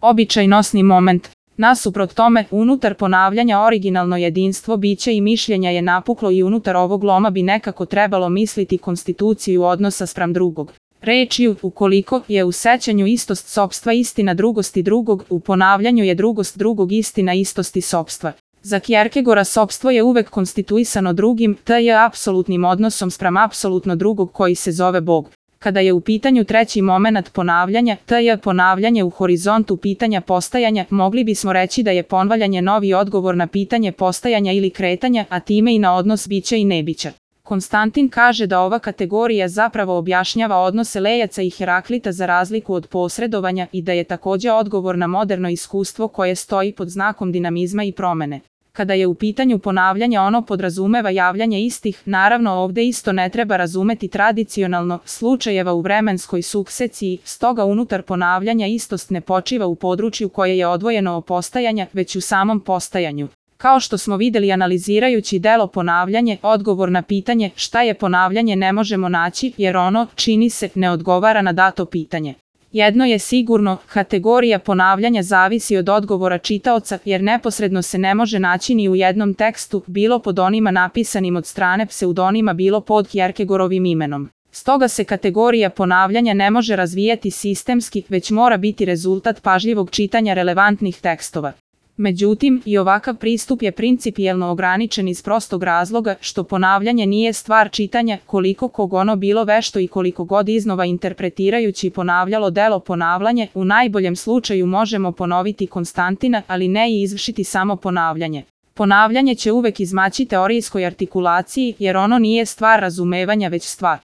Običaj nosni moment. Nasuprot tome, unutar ponavljanja originalno jedinstvo bića i mišljenja je napuklo i unutar ovog loma bi nekako trebalo misliti konstituciju odnosa spram drugog. Rečju, ukoliko je u sećanju istost sopstva istina drugosti drugog, u ponavljanju je drugost drugog istina istosti sopstva. Za Kjerkegora sopstvo je uvek konstituisano drugim, t.j. apsolutnim odnosom spram apsolutno drugog koji se zove Bog. Kada je u pitanju treći momenat ponavljanja, t.j. ponavljanje u horizontu pitanja postajanja, mogli bismo reći da je ponavljanje novi odgovor na pitanje postajanja ili kretanja, a time i na odnos bića i nebića. Konstantin kaže da ova kategorija zapravo objašnjava odnose Lejaca i Heraklita za razliku od posredovanja i da je također odgovor na moderno iskustvo koje stoji pod znakom dinamizma i promene. Kada je u pitanju ponavljanja ono podrazumeva javljanje istih, naravno ovdje isto ne treba razumeti tradicionalno slučajeva u vremenskoj sukcesiji, stoga unutar ponavljanja istost ne počiva u području koje je odvojeno od postajanja, već u samom postajanju. Kao što smo vidjeli analizirajući delo ponavljanje, odgovor na pitanje šta je ponavljanje ne možemo naći jer ono, čini se, ne odgovara na dato pitanje. Jedno je sigurno, kategorija ponavljanja zavisi od odgovora čitaoca jer neposredno se ne može naći ni u jednom tekstu, bilo pod onima napisanim od strane pseudonima, bilo pod Kjerkegorovim imenom. Stoga se kategorija ponavljanja ne može razvijati sistemski, već mora biti rezultat pažljivog čitanja relevantnih tekstova. Međutim, i ovakav pristup je principijelno ograničen iz prostog razloga što ponavljanje nije stvar čitanja, koliko kog ono bilo vešto i koliko god iznova interpretirajući ponavljalo delo ponavljanje, u najboljem slučaju možemo ponoviti Konstantina, ali ne i izvršiti samo ponavljanje. Ponavljanje će uvek izmaći teorijskoj artikulaciji jer ono nije stvar razumevanja već stvar